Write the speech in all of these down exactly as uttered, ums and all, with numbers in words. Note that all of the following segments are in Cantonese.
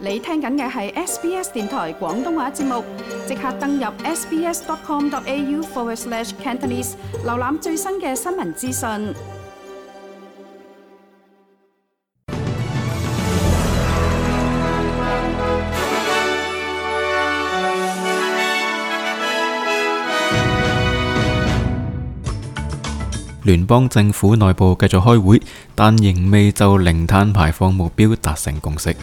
你聽緊嘅係 S B S 電台廣東話節目，即刻登入 sbs.com.au forward slash Cantonese， 瀏覽最新嘅新聞資訊。聯邦政府內部繼續開會，但仍未就零碳排放目標達成共識。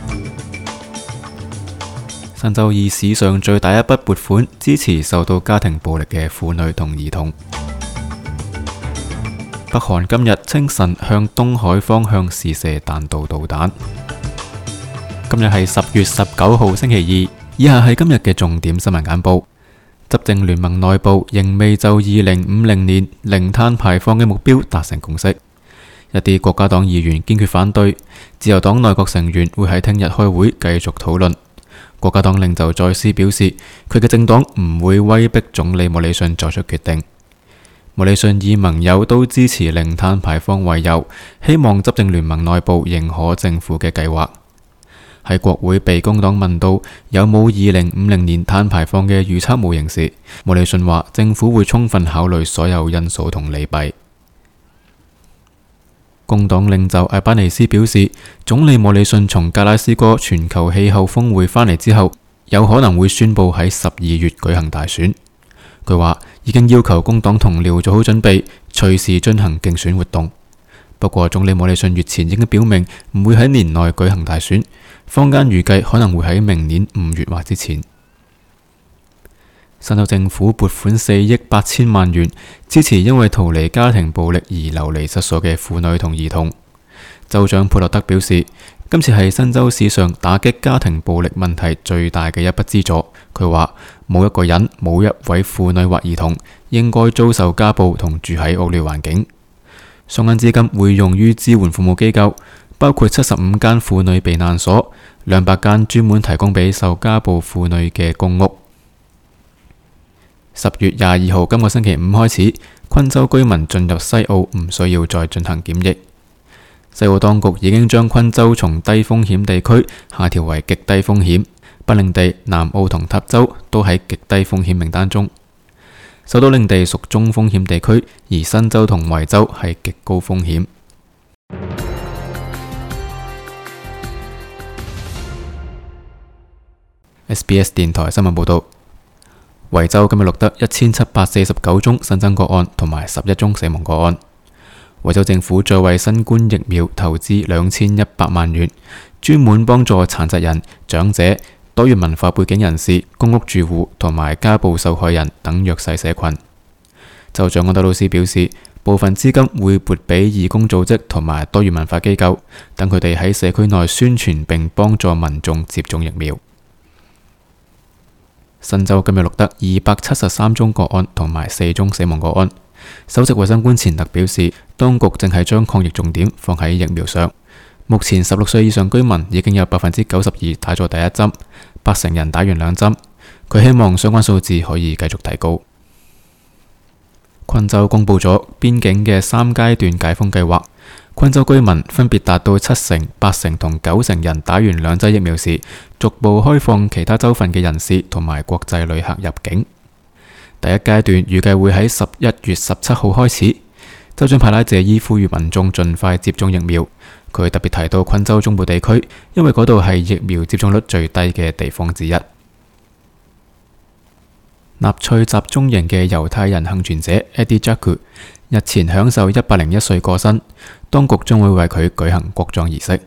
新州以史上最大一筆撥款支持受到家庭暴力嘅婦女同兒童。北韓今日清晨向東海方向試射彈道導彈。今日係十月十九號星期二，以下係今日嘅重點新聞簡報。執政聯盟內部仍未就二零五零年零碳排放嘅目標達成共識，一啲國家黨議員堅決反對，自由黨內閣成員會喺聽日開會繼續討論。國家黨領袖再斯表示，佢嘅政黨唔會威逼總理莫里遜作出決定。莫里遜以盟友都支持零碳排放為由，希望執政聯盟內部認可政府嘅計劃。喺國會被工黨問到有冇二零五零年碳排放嘅預測模型時，莫里遜話政府會充分考慮所有因素同利弊。工黨領袖艾巴尼斯表示，總理莫里遜從格拉斯哥全球氣候峰會返嚟之後，有可能會宣布喺十二月舉行大選。佢話已經要求工黨同僚做好準備，隨時進行競選活動。不過總理莫里遜月前已經表明唔會喺年內舉行大選，坊間預計可能會喺明年五月或之前。新州政府撥款四億八千萬元支持因為逃離家庭暴力而流離失所嘅婦女同兒童。州長佩洛德表示，今次係新州史上打擊家庭暴力問題最大嘅一筆資助。佢話冇一個人，冇一位婦女或兒童應該遭受家暴同住喺惡劣環境。相關資金會用於支援服務機構，包括七十五間婦女避難所、兩百間專門提供俾受家暴婦女嘅公屋。十月廿二號今個星期五開始，昆州居民進入西澳唔需要再進行檢疫。西澳當局已經將昆州從低風險地區下調為極低風險，北領地、南澳同塔州都喺極低風險名單中。首都領地屬中風險地區，而新州同維州係極高風險。S B S 電台新聞報道，維州今日錄得一千七百四十九宗新增個案同埋十一宗死亡個案。維州政府再為新冠疫苗投資兩千一百萬元，專門幫助殘疾人、長者、多元文化背景人士、公屋住戶同埋家暴受害人等弱勢社群。州長安德魯斯表示，部分資金會撥俾義工組織同埋多元文化機構，等佢哋喺社區內宣傳並幫助民眾接種疫苗。新州今日錄得二百七十三宗個案同埋四宗死亡個案。首席衛生官錢特表示，當局正係將抗疫重點放喺疫苗上。目前十六歲以上居民已經有百分之九十二打咗第一針，八成人打完兩針。佢希望相關數字可以繼續提高。昆州公布咗邊境嘅三階段解封計劃，昆州居民分別達到七成、八成同九成人打完兩劑疫苗時，逐步開放其他州份嘅人士同埋國際旅客入境。第一階段預計會喺十一月十七號開始。州長派拉謝伊呼籲民眾盡快接種疫苗。佢特別提到昆州中部地區，因為嗰度係疫苗接種率最低嘅地方之一。納粹集中營嘅猶太人幸存者 Eddie Jaku 日前享受一百零一歲過身，當局將會為佢舉行國葬儀式。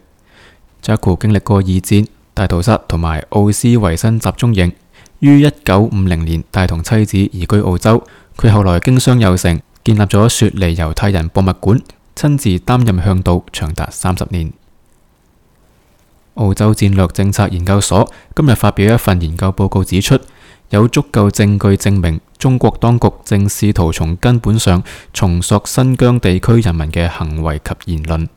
Jaku 經歷過二戰、大屠殺同埋奧斯維辛集中營，於一九五零年帶同妻子移居澳洲。佢後來經商有成，建立咗雪梨猶太人博物館，親自擔任向導長達三十年。澳洲戰略政策研究所今日發表一份研究報告，指出有足夠證據證明中國當局正試圖從根本上重塑新疆地區人民嘅行為及言論。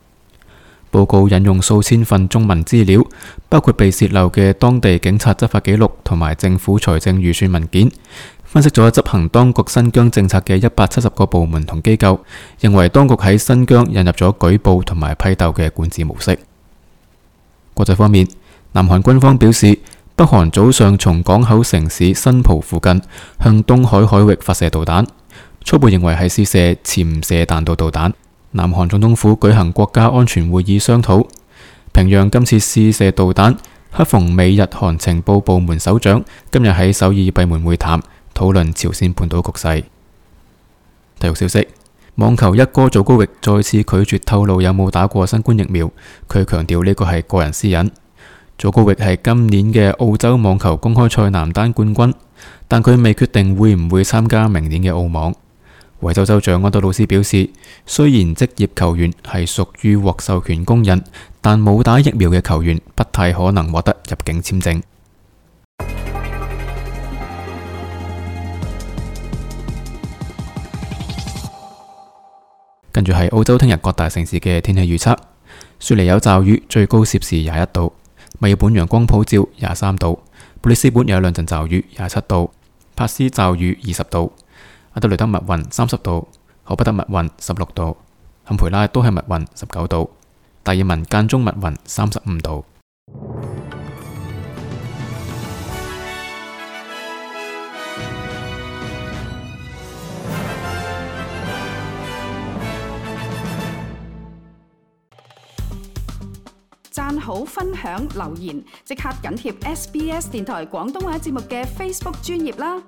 報告引用數千份中文資料，包括被洩漏嘅當地警察執法記錄同埋政府財政預算文件，分析咗執行當局新疆政策嘅一百七十個部門同機構，認為當局喺新疆引入咗舉報同埋批鬥嘅管治模式。國際方面，南韓軍方表示，北韓早上從港口城市新浦附近向東海海域發射導彈，初步認為係試射潛射彈道導彈。南韓總統府舉行國家安全會議商討，平壤今次試射導彈，恰逢美日韓情報部門首長今日喺首爾閉門會談，討論朝鮮半島局勢。體育消息：網球一哥祖高域再次拒絕透露有冇打過新冠疫苗，佢強調呢個係個人私隱。祖高域係今年嘅澳洲網球公開賽男單冠軍，但佢未決定會唔會參加明年嘅澳網。維州州長安德魯斯表示，雖然職業球員係屬於獲授權公人，但冇打疫苗嘅球員不太可能獲得入境簽證。跟住係澳洲聽日各大城市嘅天氣預測：雪梨有驟雨，最高攝氏廿一度；墨爾本陽光普照，廿三度；布里斯本有兩陣驟雨，廿七度；帕斯驟雨，二十度；阿德雷德密雲，三十度；荷伯特密雲，十六度；坎培拉都係密雲，十九度；達爾文間中密雲，三十五度。讚好、分享、留言，即刻緊貼 S B S 電台廣東話節目嘅 Facebook 專頁啦！